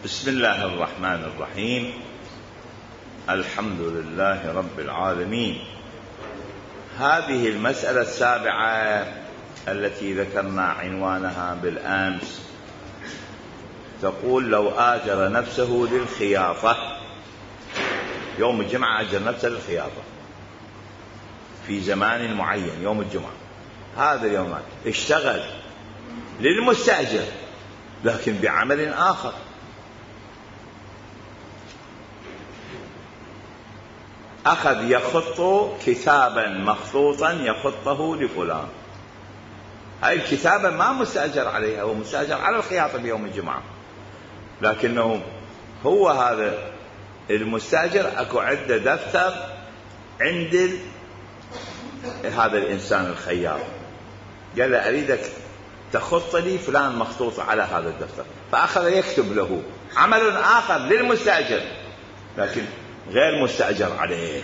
بسم الله الرحمن الرحيم. الحمد لله رب العالمين. هذه المسألة السابعة التي ذكرنا عنوانها بالأمس تقول: لو آجر نفسه للخياطة يوم الجمعة، أجر نفسه للخياطة في زمان معين يوم الجمعة، هذا اليوم اشتغل للمستأجر لكن بعمل آخر، أخذ يخط كتابا مخطوطا يخطه لفلان. هاي الكتابة ما مستأجر عليها، هو مستأجر على الخياطة بيوم الجمعة، لكنه هو هذا المستأجر أكو عنده دفتر عند هذا الإنسان الخياط، قال له: أريدك تخط لي فلان مخطوط على هذا الدفتر، فأخذ يكتب له عمل آخر للمستأجر لكن غير مستأجر عليه.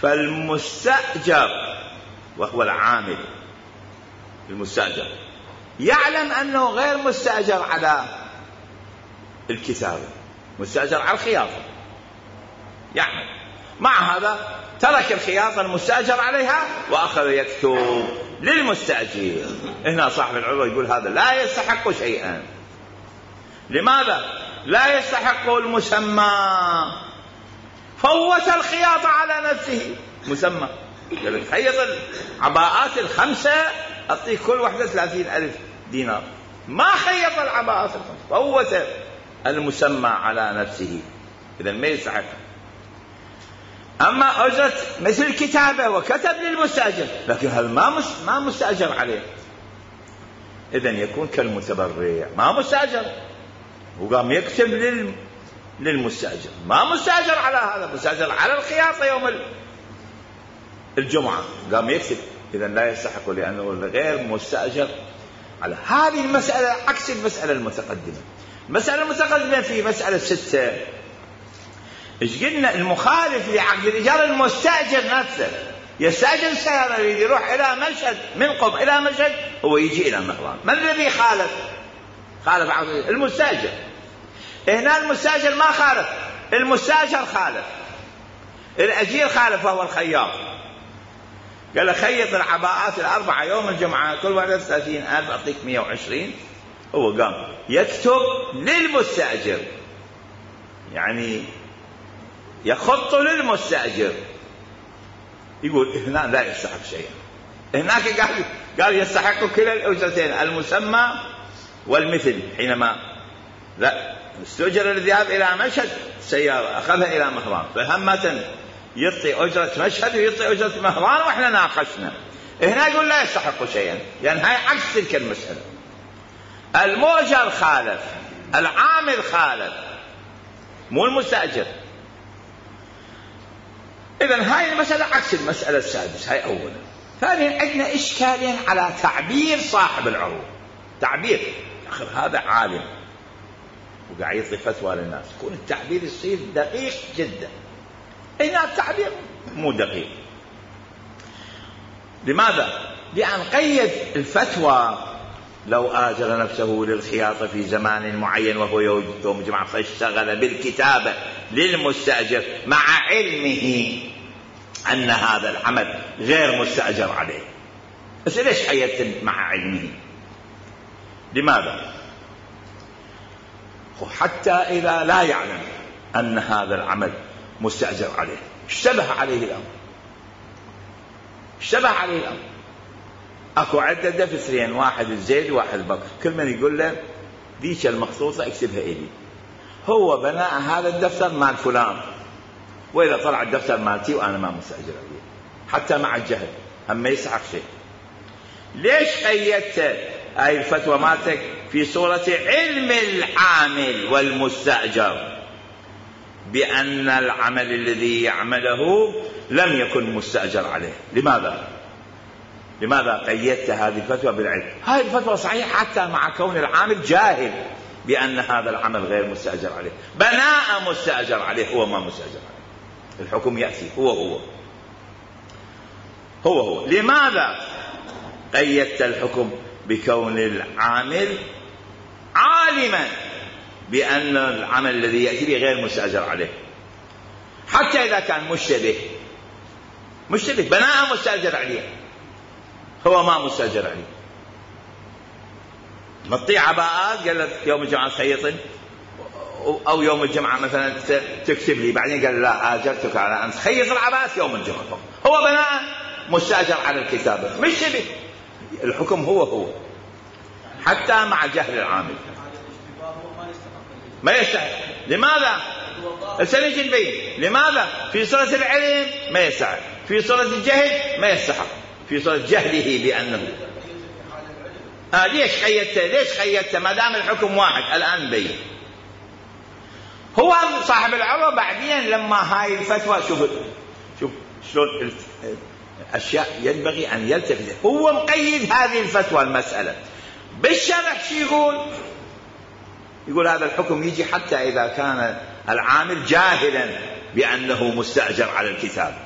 فالمستأجر وهو العامل المستأجر يعلم أنه غير مستأجر على الكتابة، مستأجر على الخياطة، يعمل مع هذا ترك الخياطة المستأجر عليها وأخذ يكتب للمستأجر. هنا صاحب العروة يقول هذا لا يستحق شيئا. لماذا لا يستحق؟ المسمى فوت الخياطة على نفسه. مسمى خيط العباءات الخمسة أعطيه كل واحدة 30,000 دينار، ما خيط العباءات الخمسة، فوت المسمى على نفسه، إذا ما يستحق. أما أجرة مثل كتابة وكتب للمستأجر لكن هذا ما مستأجر عليه، إذا يكون كالمتبرع، ما مستأجر وقام يكتب للمستأجر، ما مستأجر على هذا، مستأجر على الخياطة يوم الجمعة قام يكتب، إذا لا يستحق لأنه غير مستأجر على. هذه المسألة عكس المسألة المتقدمة. المسألة المتقدمة في مسألة 6 إيش قلنا؟ المخالف لعقد الإيجار المستأجر نفسه يستأجر السيارة، يريد يروح إلى مشهد، من قم إلى مشهد، هو يجي إلى مهران. من الذي خالف عقد المستأجر؟ هنا المستأجر ما خالف، المستأجر خالف، الأجير خالف وهو الخياط. قال له: خيط العباءات ال4 يوم الجمعة كل واحدة 30,000، أعطيك 120. هو قام يكتب للمستأجر، يعني يخط للمستأجر، يقول هنا لا يستحق شيئا. هناك قال يستحق كلا الأجرتين، المسمى والمثل. حينما لا استؤجر الذهاب إلى مشهد سيارة أخذها إلى مهران، فهمة يعطي أجرة مشهد ويعطي أجرة مهران، وإحنا ناقشنا. هنا يقول لا يستحق شيئا، لأن هاي عكس تلك المسألة. المؤجر خالف، العامل خالف، مو المستأجر. إذن هاي المسألة عكس المسألة السادسة. هاي أولا. ثانيا عندنا إشكالين على تعبير صاحب العروض. تعبير آخر هذا عالم وقاعد يعطي فتوى للناس، يكون التعبير يصير دقيق جدا. هنا التعبير مو دقيق. لماذا؟ لأن قيد الفتوى: لو آجر نفسه للخياطة في زمان معين وهو يوم الجمعة فاشتغل بالكتابة للمستأجر مع علمه أن هذا العمل غير مستأجر عليه. بس ليش قيدت مع علمه؟ لماذا؟ حتى إذا لا يعلم أن هذا العمل مستأجر عليه اشتبه عليه الأمر. أكو عدة دفترين، واحد الزيد وواحد البكر، كل من يقول له ديك المخطوطة اكتبها إلي. هو بناء هذا الدفتر مال فلان، وإذا طلع الدفتر مالتي وأنا ما مستأجر عليه، حتى مع الجهل هم ما يسحق شيء. ليش قيدت هاي الفتوى مالتك في صورة علم العامل والمستأجر بأن العمل الذي يعمله لم يكن مستأجر عليه؟ لماذا قيدت هذه الفتوى بالعلم؟ هذه الفتوى صحيحة حتى مع كون العامل جاهل بأن هذا العمل غير مستأجر عليه، بناء مستأجر عليه، هو ما مستأجر عليه، الحكم يأتي هو. لماذا قيدت الحكم بكون العامل عالم عالما بأن العمل الذي يأتي به غير مستأجر عليه، حتى إذا كان مشتبه بناء مستأجر عليه، هو ما مستأجر عليه. مطيع عباءات قال لك يوم الجمعة تخيط، أو يوم الجمعة مثلا تكتب لي، بعدين قال لا آجرتك على أن تخيط العباءات يوم الجمعة، هو بناء مستأجر على الكتابة مشتبه، الحكم هو حتى مع جهل العامل ما يستحق. لماذا؟ سنجي نبين لماذا. في صورة العلم ما يستحق، في صورة الجهل ما يستحق، في صورة جهله بأنه ليش خيّدته ما دام الحكم واحد. الآن نبين. هو صاحب العروة بعدين لما هاي الفتوى، شوف شلون الأشياء ينبغي أن يلتفت. هو مقيد هذه الفتوى المسألة بالشرح. شو يقول هذا الحكم يجي حتى إذا كان العامل جاهلا بأنه مستأجر على الكتاب.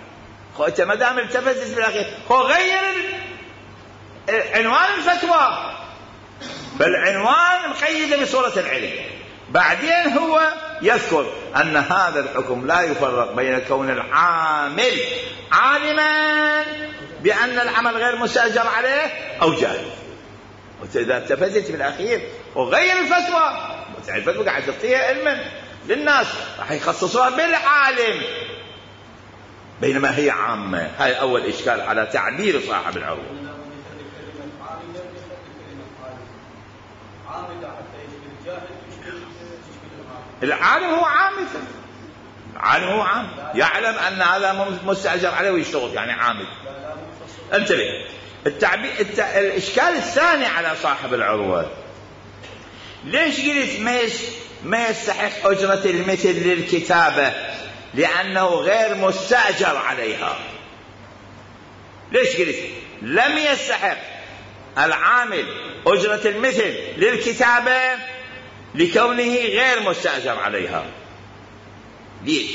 أنت ما دام التفتت بالأخير، هو غير عنوان الفتوى، فالعنوان مقيد بصورة العلم. بعدين هو يذكر أن هذا الحكم لا يفرق بين كون العامل عالما بأن العمل غير مستأجر عليه أو جاهل. وإذا التفتت بالأخير وغير الفتوى قاعد تعطيها علما للناس، راح يخصصوها بالعالم بينما هي عامة. هاي أول إشكال على تعبير صاحب العروة. العالم هو عامل، العالم هو عام، يعلم أن هذا مستأجر عليه ويشتغل، يعني عامل. انتبه. الإشكال الثاني على صاحب العروة، ليش قلت ما يستحق أجرة المثل للكتابة؟ لأنه غير مستأجر عليها. ليش قلت لم يستحق العامل أجرة المثل للكتابة؟ لكونه غير مستأجر عليها. ليش؟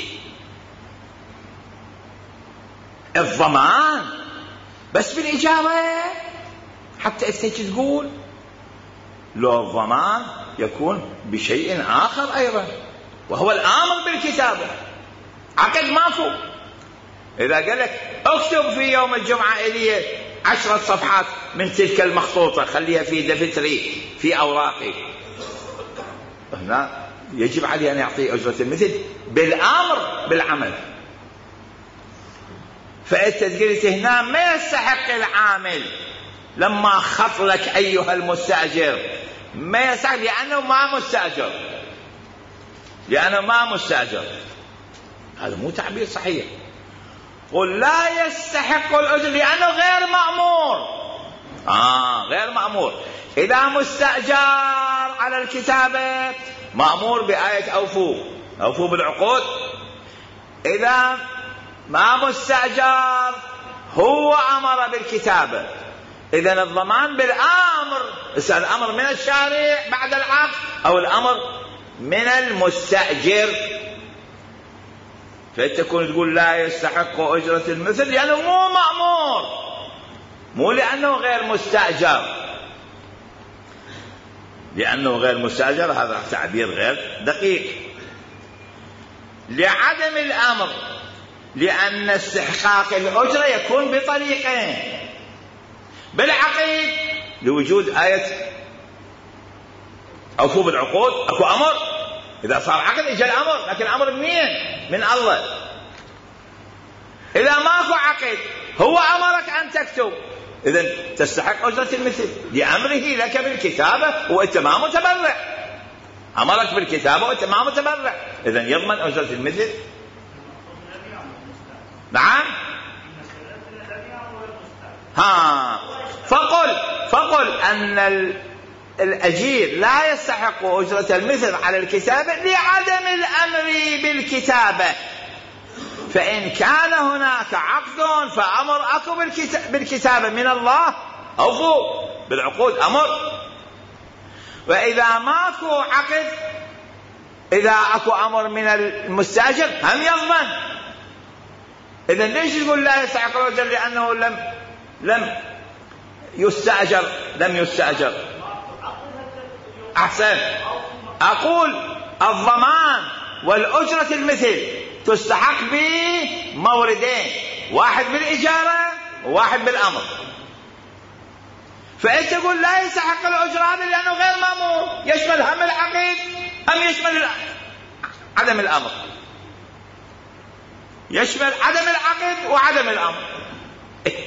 الضمان بس بالإجابة، حتى إذا تقول لو الضمان يكون بشيء آخر أيضا، وهو الآمر بالكتابة. عقد ماكو. إذا قال لك اكتب في يوم الجمعة إلي 10 صفحات من تلك المخطوطة، خليها في دفتري في أوراقي، هنا يجب عليه أن يعطي أجرة المثل بالآمر بالعمل. فأنت قلت هنا ما يستحق العامل لما خط لك أيها المستأجر، ما يستحق لأنه ما مستأجر. هذا مو تعبير صحيح. قل لا يستحق الأجر لأنه غير مأمور. غير مأمور. إذا مستأجر على الكتابة مأمور بآية أوفوا بالعقود. إذا ما مستأجر هو أمر بالكتابة، إذن الضمان بالأمر. الأمر من الشارع بعد العقد أو الأمر من المستأجر. فتكون تقول لا يستحق أجرة المثل لأنه مو مأمور، مو لأنه غير مستأجر. لأنه غير مستأجر هذا تعبير غير دقيق. لعدم الأمر، لأن استحقاق الأجرة يكون بطريقين: بالعقد لوجود آية أوفوا بالعقود، أكو أمر. إذا صار عقد إجا الأمر، لكن الأمر من الله. إذا ماكو عقد هو أمرك أن تكتب، إذن تستحق أجرة المثل لأمره لك بالكتابة وأنت ما متبرع. أمرك بالكتابة وأنت ما متبرع، إذن يضمن أجرة المثل. نعم. فقل أن الأجير لا يستحق أجرة المثل على الكتابة لعدم الأمر بالكتابة. فإن كان هناك عقد فأمر أكو بالكتابة من الله، أوفوا بالعقود أمر. وإذا ماكو عقد، إذا أكو أمر من المستأجر هم يضمن. إذن ليش يقول لا يستحق الأجر؟ لأنه لم يستأجر. أحسن. أقول الضمان والأجرة المثل تستحق بموردين، واحد بالإجارة وواحد بالأمر. فأنت تقول لا يستحق الأجرة هذا لأنه غير مأمور، يشمل هم العقد أم يشمل عدم الأمر؟ يشمل عدم العقد وعدم الأمر.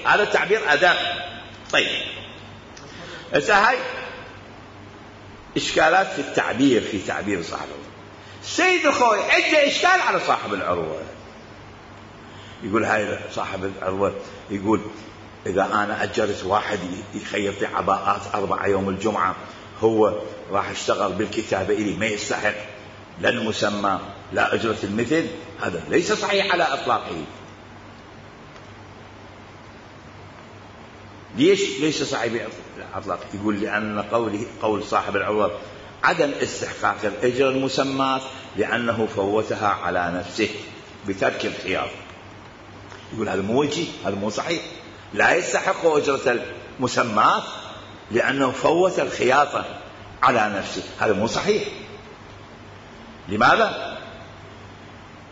هذا التعبير أداء. طيب هسه هاي إشكالات في التعبير، في تعبير صاحب العروة. سيد الخوي عنده إشكال على صاحب العروة، يقول هاي صاحب العروة يقول إذا أنا أجرت واحد يخيط لي عباءات 4 يوم الجمعة، هو راح اشتغل بالكتابة إلي، ما يستحق لا المسمى لا أجرة المثل. هذا ليس صحيح على إطلاقه. ليش صحيح على إطلاقه؟ يقول لأن قول صاحب العروة عدم استحقاق الأجرة المسمات لأنه فوتها على نفسه بترك الخيار. يقول هذا مو وجيه، هذا مو صحيح. لا يستحق أجرة المسمات لأنه فوت الخياطة على نفسه، هذا مو صحيح. لماذا؟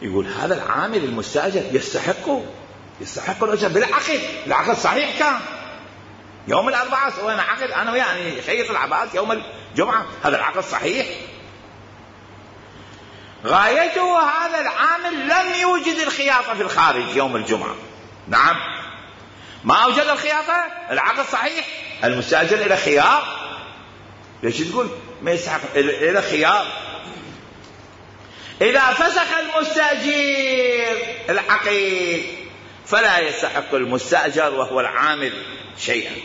يقول هذا العامل المستأجر يستحق الأجرة بالعقد. العقد صحيح كان يوم الأربعاء سوينا عقد أنا ويعني خيط العباءات يوم الجمعة، هذا العقد صحيح. غايته هذا العامل لم يوجد الخياطة في الخارج يوم الجمعة، نعم ما أوجد الخياطة، العقد صحيح. المستأجر إلى خيار، ليش تقول ما يستحق؟ إلى خيار. إذا فسخ المستأجر العقد فلا يستحق المستأجر وهو العامل شيئا.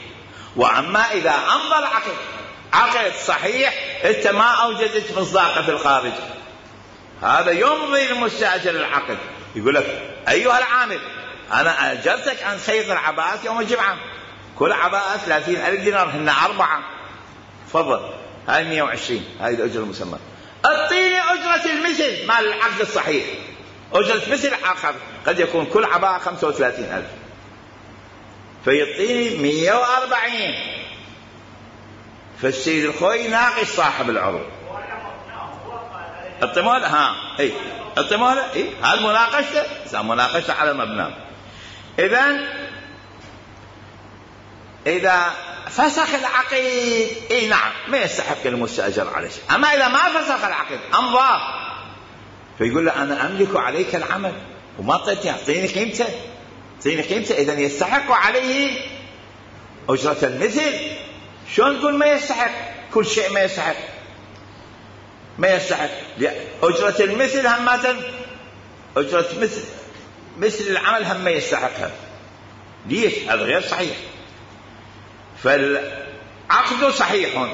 وأما إذا أمضى العقد عقد صحيح أنت ما أوجدت مصداقه في الخارج، هذا يمضي المستأجر العقد، يقول لك أيها العامل أنا أجرتك عن خيط العباءات يوم الجمعة، كل عباءة 30,000 دينار، هن 4، تفضل هاي 120، هاي الأجرة المسمى. اعطيني أجرة المثل مال العقد الصحيح. أجرة مثل آخر قد يكون كل عباءة 35,000، فيعطيني 140. فالسيد الخوي ناقش صاحب العروض، الطمول الطمول هذا مناقشته، مناقشته على مبنى. إذا فسخ العقد نعم ما يستحق المستأجر على شيء. أما إذا ما فسخ العقد أمضاه فيقول له أنا أملك عليك العمل وما أعطيتني، أعطيني قيمته، إذن يستحق عليه أجرة المثل. شلون تقول ما يستحق؟ كل شيء ما يستحق. أجرة المثل همة، أجرة مثل العمل هم ما يستحقها. ليش؟ هذا غير صحيح. فالعقد صحيح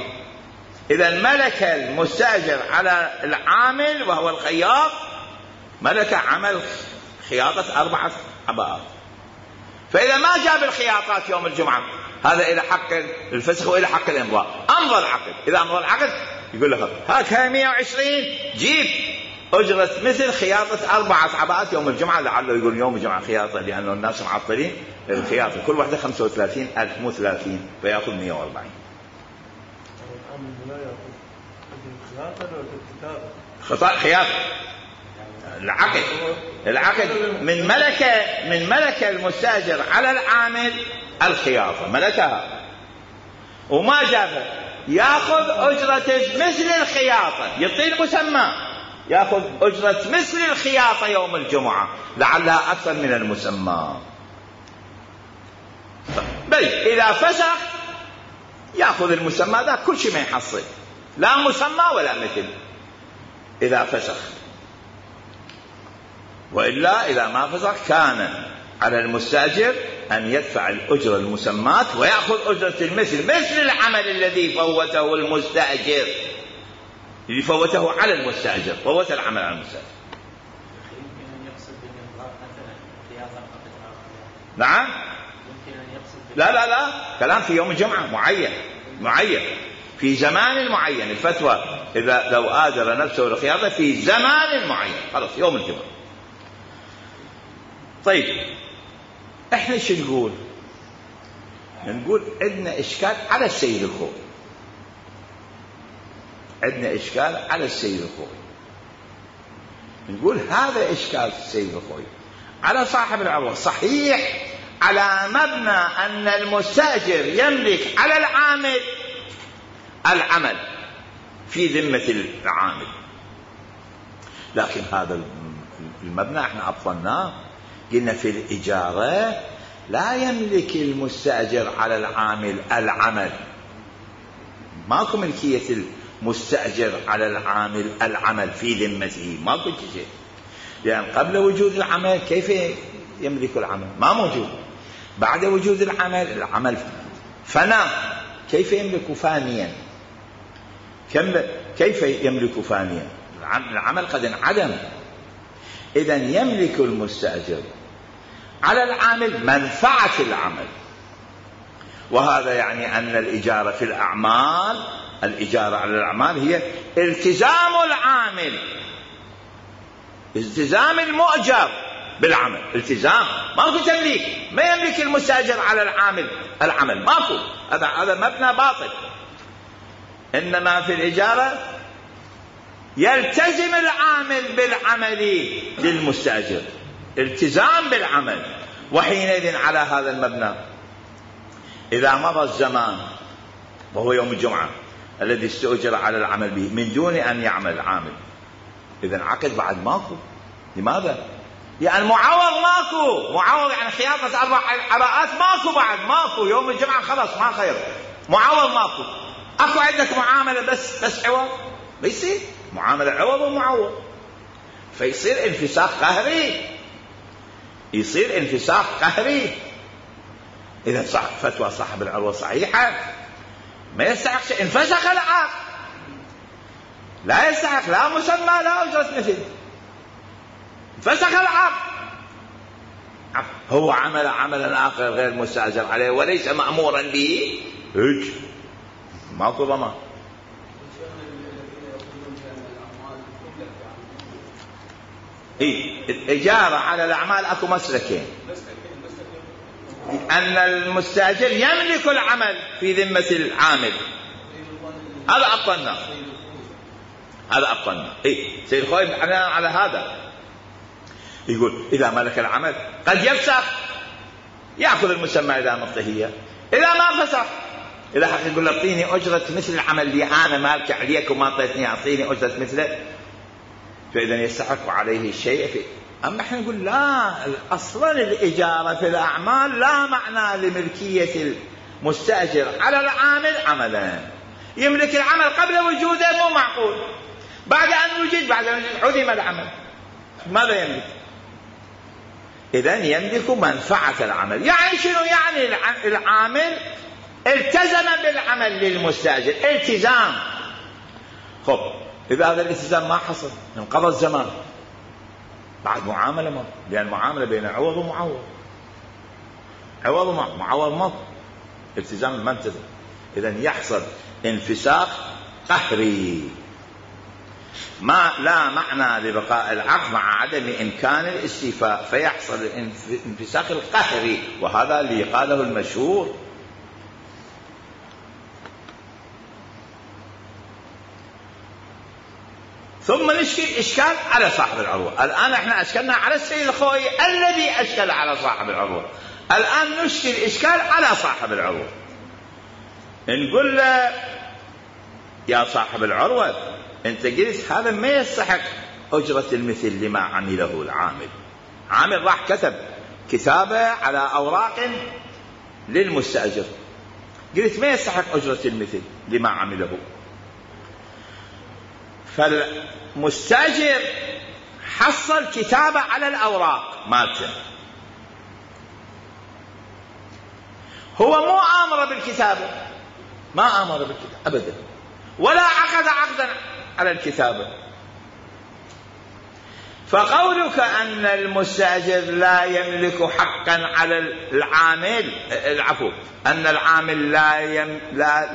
إذا ملك المستأجر على العامل وهو الخياط، ملك عمل خياطة 4 عباءات. فإذا ما جاب الخياطات يوم الجمعة هذا إلى حق الفسخ وإلى حق الإمضاء. أمضى العقد، إذا أمضى العقد يقول له هاك 120 جيب أجرة مثل خياطة 4 عباءات يوم الجمعة، لعله يقول يوم الجمعة خياطة لأنه الناس معطلين الخياطة، كل واحدة 35,000 مو 30، فيأخذ 140. خطأ خياطة العقد من ملك المستأجر على العامل الخياطة، ملكها وما جابها، يأخذ أجرة مثل الخياطة، يعطي المسمى يأخذ أجرة مثل الخياطة يوم الجمعة لعلها أكثر من المسمى. بل إذا فسخ يأخذ المسمى ذا كل شيء ما يحصل، لا مسمى ولا مثل إذا فسخ. وإلا إذا ما فسخ كان على المستأجر أن يدفع الأجرة المسمات ويأخذ أجرة المثل، مثل العمل الذي فوته المستأجر، اللي فوته على المستأجر، فوت العمل على المستأجر. نعم لا كلام في يوم الجمعة معين في زمان معين. الفتوى إذا لو آجر نفسه للخياطة في زمان معين، خلاص يوم الجمعة. طيب احنا ايش نقول عندنا اشكال على السيد الخوي. عندنا إشكال على السيد الخوئي. نقول هذا إشكال السيد الخوئي على صاحب العروة. صحيح على مبنى أن المستأجر يملك على العامل العمل في ذمة العامل، لكن هذا المبنى احنا أبطلناه. قلنا في الإجارة لا يملك المستأجر على العامل العمل، ماكو ملكية المستأجر على العامل العمل في ذمته، ماكو شيء. لأن قبل وجود العمل كيف يملك العمل؟ ما موجود. بعد وجود العمل فنى، كيف يملك فانيا؟ كيف يملك فانيا؟ العمل قد انعدم. إذن يملك المستأجر على العامل منفعة العمل، وهذا يعني أن الإجارة في الأعمال، الإجارة على الأعمال هي التزام العامل، التزام المؤجر بالعمل، التزام، ماكو تمليك. ما يملك المستأجر على العامل العمل، ماكو. هذا مبنى باطل. إنما في الإجارة يلتزم العامل بالعمل للمستأجر، التزام بالعمل. وحينئذ على هذا المبنى إذا مضى الزمان وهو يوم الجمعة الذي استؤجر على العمل به من دون أن يعمل العامل، إذن عقد بعد ماكو. لماذا؟ يعني معوض ماكو، معوض يعني خياطة 4 عباءات ماكو، بعد ماكو. يوم الجمعة خلاص ما خير، معوض ماكو. أكو عندك معاملة بس عوض؟ ما يصير معاملة عوض ومعوض، فيصير انفساخ قهري، يصير انفساخ قهري. إذا فتوى صاحب العروة صحيحة، ما يستحق شيء، انفسخ العقد، لا يستحق لا مسمى لا أجرة مثل، انفسخ العقد. هو عمل عملا آخر غير مستأجر عليه وليس مأمورا به، هيك ماكو ضمان. الإجارة على الأعمال أكو مسلكين، أن المستأجر يملك العمل في ذمة العامل، هذا أبطلنا، هذا أبطلنا. سيد الخوئي على هذا يقول إذا ملك العمل قد يفسخ، يأخذ المسمى إذا مطهية، إذا ما فسخ إذا حق يقول أعطيني أجرة مثل العمل اللي أنا مالك عليك وما أعطيتني، أعطيني أجرة مثله، فإذا يستحق عليه الشيء فيه. أما احنا نقول لا، أصلا الإجارة في الأعمال لا معنى لملكية المستأجر على العامل عملا. يملك العمل قبل وجوده مو معقول، بعد أن وجد عدم العمل ماذا يملك؟ إذن يملك منفعة العمل. يعني شنو؟ يعني العامل التزم بالعمل للمستأجر التزام. خب إذا هذا الالتزام ما حصل، انقضى الزمان، بعد معاملة ما، لأن المعاملة بين عوض ومعوض، عوض ومعوض ما، التزام ما التزم. إذن يحصل انفساخ قهري، ما لا معنى لبقاء العقد مع عدم إمكان الاستيفاء، فيحصل الانفساخ القهري، وهذا اللي قاله المشهور. ثم نشكل إشكال على صاحب العروة. الآن احنا أشكلنا على السيد الخوئي الذي أشكل على صاحب العروة، الآن نشكل إشكال على صاحب العروة. نقول له يا صاحب العروة، أنت قلت هذا ما يستحق أجرة المثل لما عمله العامل. عامل راح كتب كتابة على أوراق للمستأجر، قلت ما يستحق أجرة المثل لما عمله. فالمستأجر حصل كتابة على الأوراق مالته، هو مو آمر بالكتابة، ما آمر بالكتابة أبدا، ولا عقد عقدا على الكتابة. فقولك أن المستأجر لا يملك حقا على العامل، العفو، أن العامل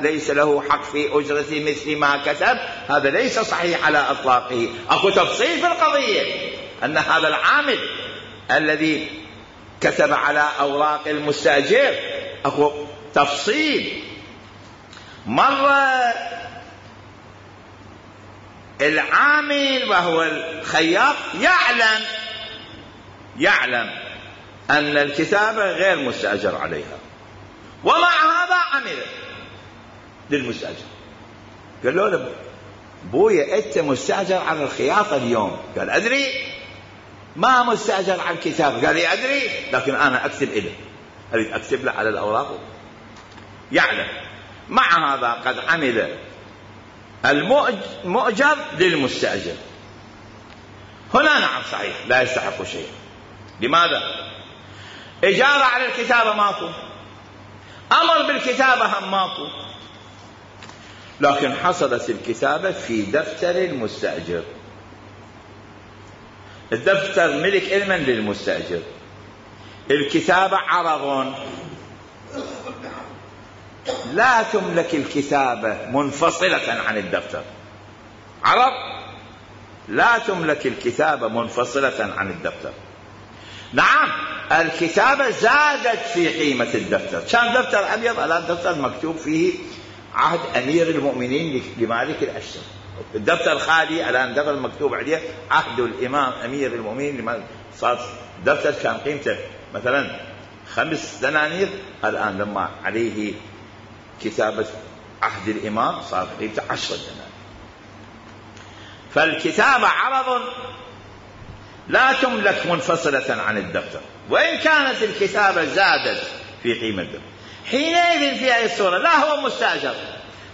ليس له حق في أجرة مثل ما كتب، هذا ليس صحيح على إطلاقه. أكو تفصيل في القضية، أن هذا العامل الذي كتب على أوراق المستأجر أكو تفصيل. مرة العامل وهو الخياط يعلم أن الكتابة غير مستأجر عليها، ومع هذا عمل للمستأجر. قال له بويا أنت مستأجر على الخياطة اليوم. قال أدري. ما مستأجر على الكتابة. قال لي أدري، لكن أنا أكتب إله، أريد أكتب له على الأوراق. يعلم. مع هذا قد عمل المؤجر للمستأجر. هنا نعم صحيح لا يستحق شيء. لماذا؟ إجارة على الكتابة ماكو، أمر بالكتابة هم ماكو، لكن حصلت الكتابة في دفتر المستأجر. الدفتر ملك علما للمستأجر، الكتابة عرض. لا تملك الكتابة منفصلة عن الدفتر. عرض لا تملك الكتابة منفصلة عن الدفتر. نعم الكتابة زادت في قيمة الدفتر. كان دفتر أبيض، الآن دفتر مكتوب فيه عهد أمير المؤمنين لمالك الأشتر. الدفتر خالي، الآن دفتر مكتوب عليه عهد الإمام أمير المؤمنين لمالك. صار دفتر كان قيمته مثلا 5 دنانير، الآن لما عليه كتابة عهد الإمام صار قيمته 10 دنانير. فالكتابة عرض لا تملك منفصلة عن الدفتر، وإن كانت الكتابة زادت في قيمة الدفتر. حينئذ في هذه الصورة لا هو مستأجر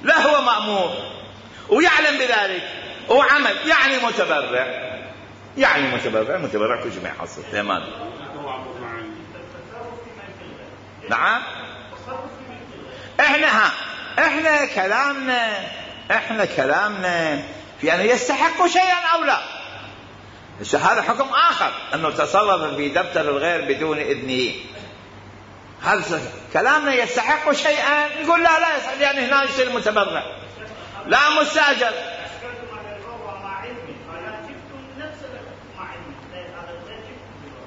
لا هو مأمور، ويعلم بذلك وعمل، يعني متبرع كل شيء ما يحصل. تمام. نعم احنا كلامنا في أنه يستحق شيئا أو لا. هذا حكم آخر، أنه تصرف في دفتر الغير بدون إذنه. هذا كلامنا يستحق شيئا، يقول لا يستحق، يعني هنا يصير متبرع لا مستأجر.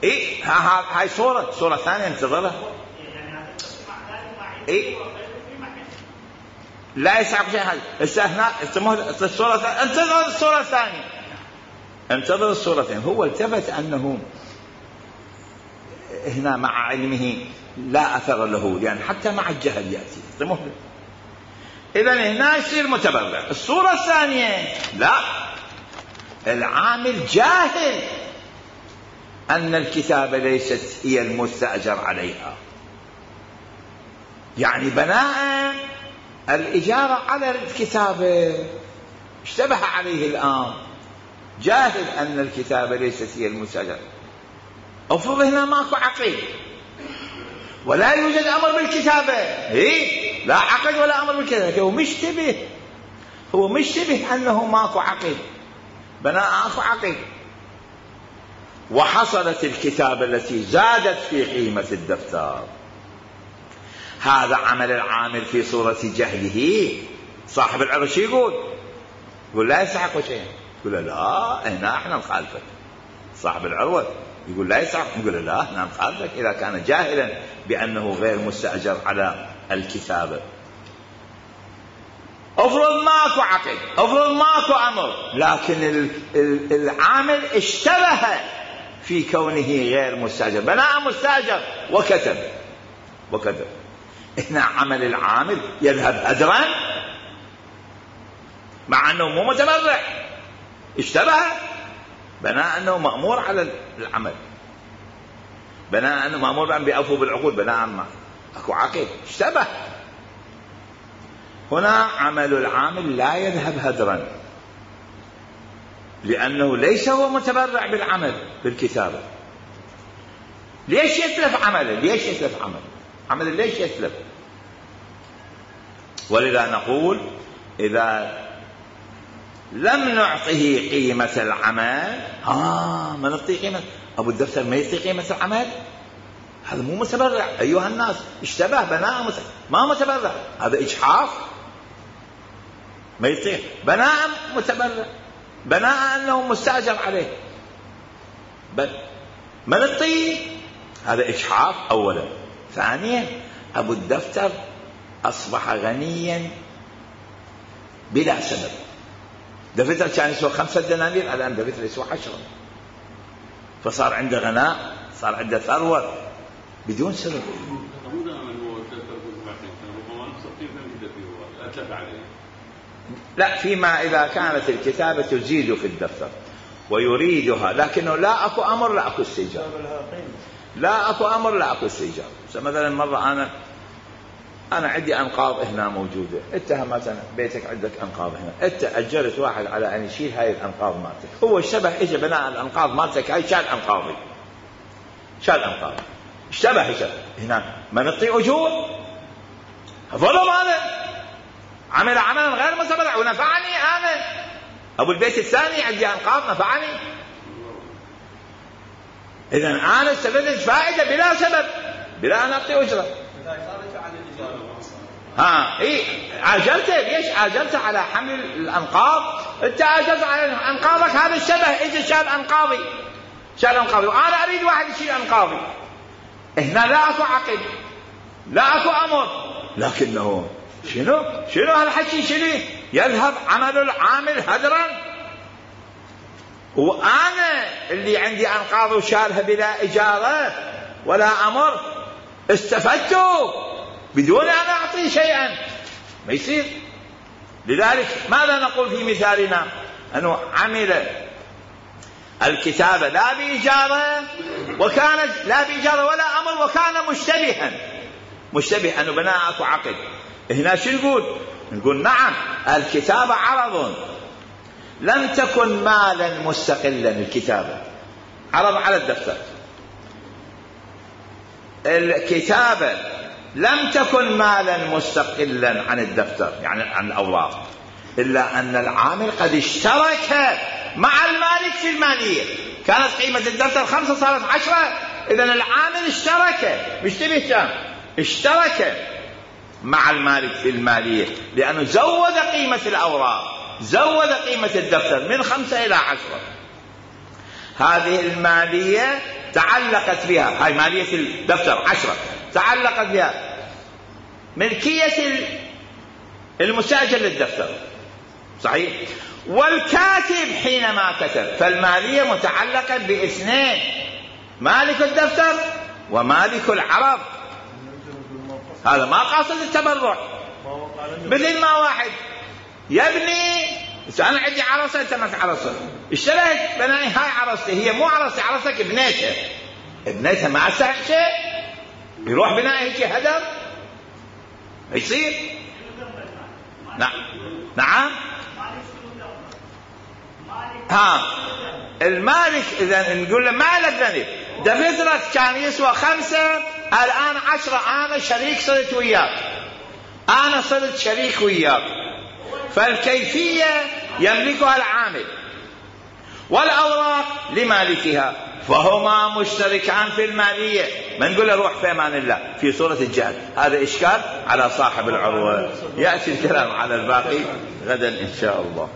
إيه هاي صورة ثانية انتظرها. إيه لا يستحق شيء. هذا انتظر الصورة الثانية. هو التفت أنه هنا مع علمه لا أثر له، لأن حتى مع الجهل يأتي. إذن هنا يصير متبرع. الصورة الثانية لا، العامل جاهل أن الكتابة ليست هي المستأجر عليها، يعني بناء الإجارة على الكتابة اشتبه عليه الآن، جاهل أن الكتابة ليست هي المستأجر. أفرض هنا ماكو عقد ولا يوجد أمر بالكتابة، لا عقد ولا أمر بالكتابة. هو مشتبه أنه ماكو عقد، بناء أكو عقد، وحصلت الكتابة التي زادت في قيمة الدفتر. هذا عمل العامل في صورة جهله. صاحب العرش يقول لا يستحق شيء، يقول لا هنا احنا نخالفك. صاحب العروة يقول لا يستحق، يقول لا احنا نخالفك إذا كان جاهلا بأنه غير مستأجر على الكتابة. افرض ماكو عقد، افرض ماكو أمر، لكن العامل اشتبه في كونه غير مستأجر، بناء مستأجر وكتب. هنا عمل العامل يذهب هدرا مع أنه مو متبرع، اشتبه، بناء أنه مأمور على العمل، بناء أنه مأمور بأن بيأوفوا بالعقود، بناء ما أكو عقد، اشتبه. هنا عمل العامل لا يذهب هدرا، لأنه ليس هو متبرع بالعمل بالكتابة. ليش يتلف عمله؟ ليش يتلف؟ ولذا نقول إذا لم نعطيه قيمة العمل، ما نعطيه قيمة، أبو الدفتر ما يعطي قيمة العمل، هذا مو متبرع أيها الناس، اشتبه، بناء ما متبرع، هذا إجحاف، ما يعطيه بناء متبرع، بناء أنه مستأجر عليه، ما نعطيه، هذا إجحاف أولا. ثانيا أبو الدفتر أصبح غنيا بلا سبب، دفتر كان يسوى 5 دنانير، الآن دفتر يسوى 10. فصار عنده غناء، صار عنده ثروة بدون سبب. لا، فيما إذا كانت الكتابة تزيد في الدفتر ويريدها، لكنه لا أكو أمر لا أكو استئجار، لا أكو أمر لا أكو استئجار. مثلا مرة أنا عندي أنقاض هنا موجودة، أنت مثلا بيتك عندك أنقاض هنا، أنت أجرت واحد على أن يشيل هاي الأنقاض مالتك، هو اشتبه إجا بناء الأنقاض مالتك هاي شال أنقاضي، شال أنقاضي، اشتبه إجا هنا، ما نعطي أجور؟ ظلم هذا، عمل عملا غير مستبرع ونفعني أنا. أبو البيت الثاني عندي أنقاض نفعني، إذن أنا استفدت فائدة بلا سبب، بلا أن أعطي أجرة. إيه عاجلته، ليش عاجلته على حمل الأنقاض؟ أنت عاجلت على أنقاضك، هذا الشبه إذا شال أنقاضي، شال أنقاضي، وأنا أريد واحد يشيل أنقاضي. هنا لا أكو عقل، لا أكو أمر، لكنه شنو هالحكي؟ شنو يذهب عمل العامل هدرا؟ وأنا اللي عندي أنقاض وشالها بلا إجارة ولا أمر، استفدت بدون أن أعطي شيئا، ما يصير. لذلك ماذا نقول في مثالنا؟ أنه عمل الكتابة لا بإجارة، وكانت لا بإجارة ولا أمر، وكان مشتبه أنه بناء عقد. هنا شو نقول نعم الكتابة عرض، لم تكن مالا مستقلا، الكتابة عرض على الدفتر، الكتابة لم تكن مالا مستقلا عن الدفتر يعني عن الأوراق، إلا أن العامل قد اشترك مع المالك في المالية. كانت قيمة الدفتر 5 صارت 10، إذن العامل اشترك، مش تبه اشترك مع المالك في المالية، لأنه زود قيمة الأوراق، زود قيمة الدفتر من 5 إلى 10. هذه المالية تعلقت بها، هاي مالية الدفتر 10 تعلقت بها ملكية المستأجر للدفتر، صحيح؟ والكاتب حينما كتب، فالمالية متعلقة باثنين، مالك الدفتر ومالك العرض. هذا ما قاصد التبرع، مثل ما واحد يبني، أنا عندي عرصة أنت ما عرصة، اشتريت بنائي، هاي عرصتي، هي مو عرصتي، عرصتك ابنيتها ما أستحق شيء، يروح بنائي هيك هدر، يصير. نعم المالك إذا نقول له مالك ذنب، دفترك كان يسوى 5 الآن 10، أنا شريك صرت وياك، أنا صرت شريك وياك، فالكيفية يملكها العامل والأوراق لمالكها، فهما مشتركان في المالية. ما نقول له روح في أمان الله في صورة الجهل، هذا إشكال على صاحب العروة. يأتي الكلام على الباقي غدا إن شاء الله.